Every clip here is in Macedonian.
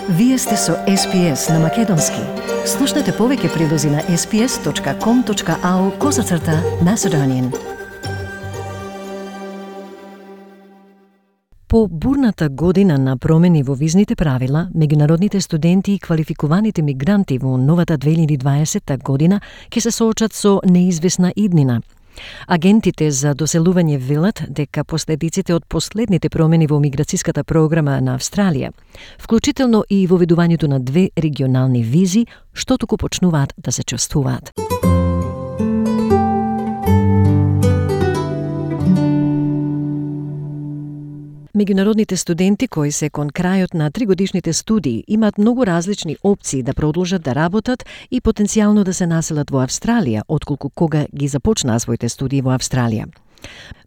Вие сте со SPS на Македонски. Слушнете повеќе прилози на sps.com.au/Macedonian. По бурната година на промени во визните правила, меѓународните студенти и квалификуваните мигранти во новата 2020 година ќе се соочат со неизвестна иднина. Агентите за доселување велат дека последиците од последните промени во миграцијската програма на Австралија, вклучително и воведувањето на 2 регионални визи, што туку почнуваат да се чувствуваат. Меѓународните студенти кои се кон крајот на 3-годишните студии имаат многу различни опции да продолжат да работат и потенцијално да се населат во Австралија, отколку кога ги започнаа своите студии во Австралија.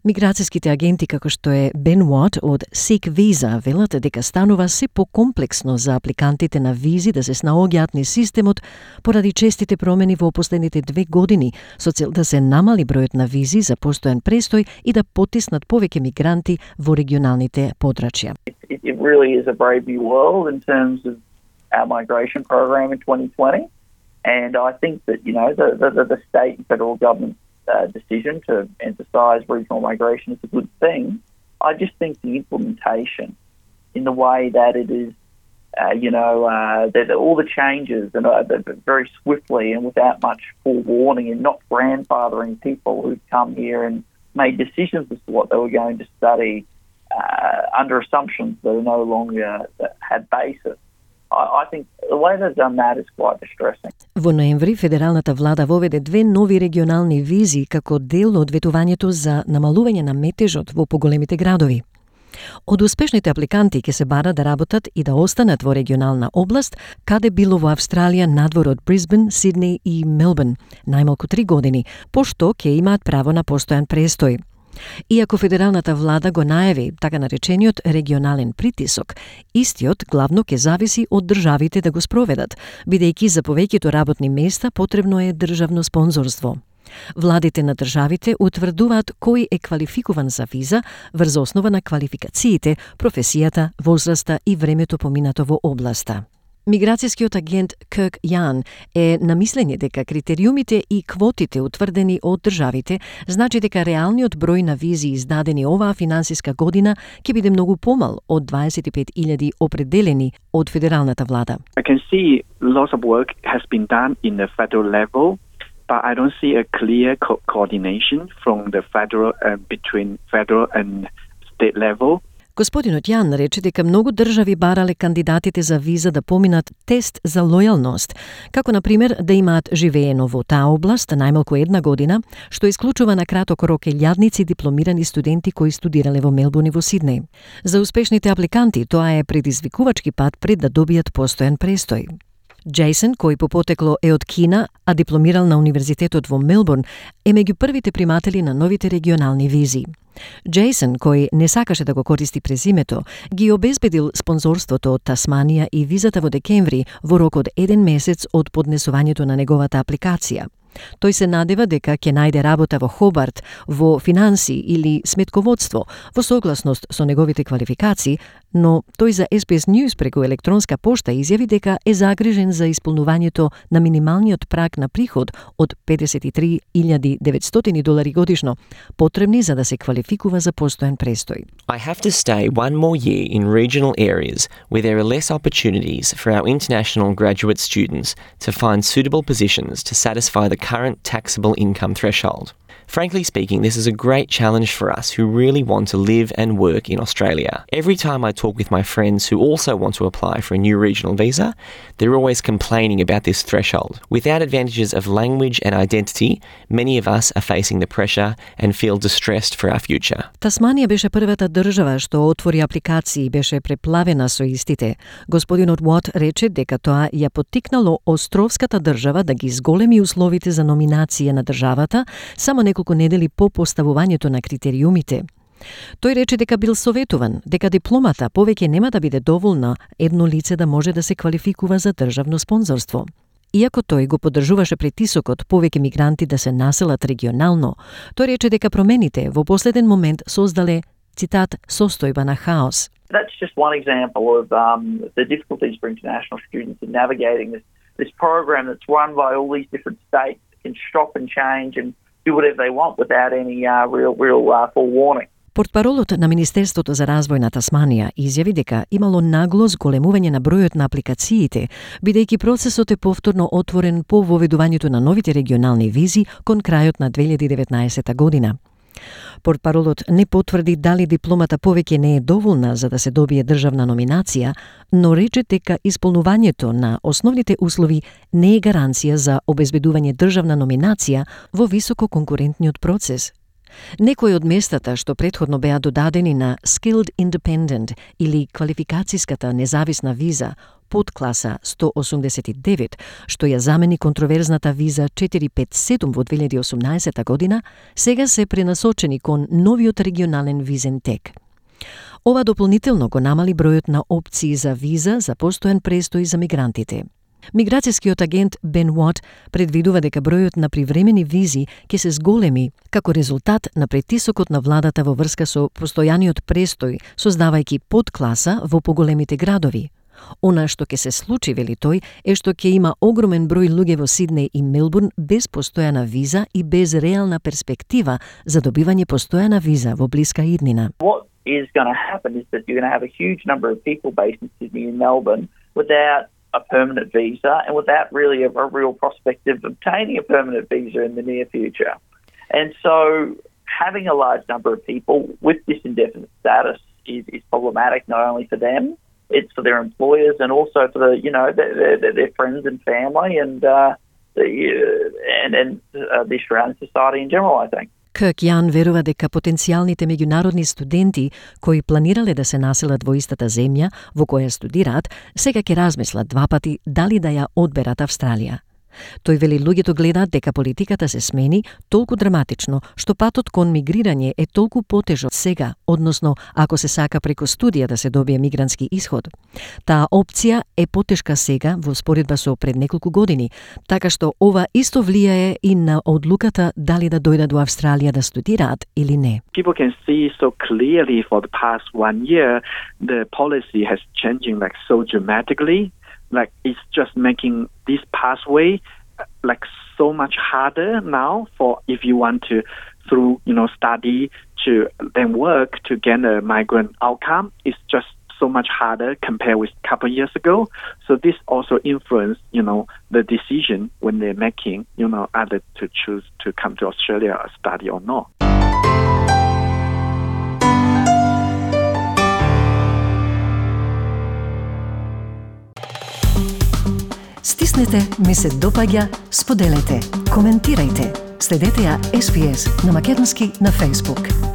Миграцијските агенти како што е Бен Уот од Seek Visa велат дека станува се покомплексно за апликантите на визи да се снаоѓаат низ системот поради честите промени во последните 2 години со цел да се намали бројот на визи за постојан престој и да потиснат повеќе мигранти во регионалните подрачја. It really is a brave new world in terms of our migration program in 2020, and I think that the state and federal government decision to emphasise regional migration is a good thing. I just think the implementation in the way that it is, that all the changes and very swiftly and without much forewarning and not grandfathering people who've come here and made decisions as to what they were going to study under assumptions that are no longer had basis. I think the way they've done that is quite distressing. Во ноември федералната влада воведе 2 нови регионални визи како дел од ветувањето за намалување на метежот во поголемите градови. Од успешните апликанти ќе се бара да работат и да останат во регионална област, каде било во Австралија надвор од Брисбен, Сиднеј и Мелбурн, најмалку 3 години, пошто ќе имаат право на постојан престој. Иако федералната влада го најави така наречениот регионален притисок, истиот главно ќе зависи од државите да го спроведат, бидејќи за повеќето работни места потребно е државно спонзорство. Владите на државите утврдуваат кој е квалификуван за виза врз основа на квалификациите, професијата, возраста и времето поминато во областа. Миграцијскиот агент Кирк Јан е на мислење дека критериумите и квотите утврдени од државите значи дека реалниот број на визи издадени оваа финансиска година ќе биде многу помал од 25.000 определени од федералната влада. I can see lots of work has been done in the federal level, but I don't see a clear coordination from the federal between federal and state level. Господинот Јан рече дека многу држави барале кандидатите за виза да поминат тест за лојалност, како на пример да имаат живеено во таа област најмалку 1 година, што исклучува на краток рок илјадници дипломирани студенти кои студирале во Мелбурн и во Сиднеј. За успешните апликанти тоа е предизвикувачки пат пред да добијат постојан престој. Джейсон, кој по потекло е од Кина, а дипломирал на универзитетот во Мелбурн, е меѓу првите приматели на новите регионални визи. Джейсон, кој не сакаше да го користи презимето, ги обезбедил спонзорството од Тасманија и визата во декември во рок од 1 месец од поднесувањето на неговата апликација. Тој се надева дека ќе најде работа во Хобарт, во финанси или сметководство, во согласност со неговите квалификации, но тој за SBS News преку електронска пошта изјави дека е загрижен за исполнувањето на минималниот праг на приход од $53,900 годишно, потребни за да се квалификува за постојан престој. I have to stay 1 more year in regional areas where there are less opportunities for our international graduate students to find suitable positions to satisfy the current taxable income threshold. Frankly speaking, this is a great challenge for us who really want to live and work in Australia. Every time I talk with my friends who also want to apply for a new regional visa, they're always complaining about this threshold. Without advantages of language and identity, many of us are facing the pressure and feel distressed for our future. Тасманија беше првата држава што отвори апликации и беше преплавена со истите. Господинот Уот рече дека тоа ја поттикнало островската држава да ги зголеми условите за номинација на државата само неколку недели по поставувањето на критериумите. Тој рече дека бил советуван, дека дипломата повеќе нема да биде доволна едно лице да може да се квалификува за државно спонзорство. Иако тој го поддржуваше притисокот повеќе мигранти да се населат регионално, тој рече дека промените во последен момент создале цитат, состојба на хаос. That's just one example of the difficulties for international students in navigating this program that's run by all these different states that can shop and change and do whatever they want without any real forewarning. Портпаролот на Министерството за развој на Тасманија изјави дека имало нагло зголемување на бројот на апликациите, бидејќи процесот е повторно отворен по воведувањето на новите регионални визи кон крајот на 2019 година. Портпаролот не потврди дали дипломата повеќе не е доволна за да се добие државна номинација, но рече дека исполнувањето на основните услови не е гаранција за обезбедување државна номинација во високо конкурентниот процес. Некои од местата што претходно беа додадени на Skilled Independent или квалификацијската независна виза под класа 189, што ја замени контроверзната виза 457 во 2018 година, сега се пренасочени кон новиот регионален визен тек. Ова дополнително го намали бројот на опции за виза за постојан престој за мигрантите. Миграцијскиот агент Бен Уот предвидува дека бројот на привремени визи ќе се зголеми како резултат на притисокот на владата во врска со постојаниот престој, создавајќи подкласа во поголемите градови. Она што ќе се случи, вели тој, е што ќе има огромен број луѓе во Сиднеј и Мелбурн без постојана виза и без реална перспектива за добивање постојана виза во блиска иднина. What is going to happen is that you're going to have a huge number of people based in Sydney and Melbourne without a permanent visa and without really a real prospect of obtaining a permanent visa in the near future. And so having a large number of people with this indefinite status is problematic not only for them, it's for their employers and also for their friends and family and the Australian society in general, I think. Кирк Јан верува дека потенцијалните меѓународни студенти кои планирале да се населат во истата земја во која студираат, сега ќе размислат два пати дали да ја одберат Австралија. Тој вели луѓето гледаат дека политиката се смени толку драматично, што патот кон мигрирање е толку потежок сега, односно ако се сака преку студија да се добие мигрантски исход. Таа опција е потешка сега во споредба со пред неколку години, така што ова исто влијае и на одлуката дали да дојдат во Австралија да студираат или не. People can see so clearly for the past 1 year the policy has changing so dramatically. It's just making this pathway so much harder now for if you want to through study to then work to get a migrant outcome. It's just so much harder compared with a couple of years ago. So this also influenced the decision when they're making either to choose to come to Australia or study or not. Стиснете, ми се допаѓа, споделете, коментирајте. Следете ја SPS на македонски на Facebook.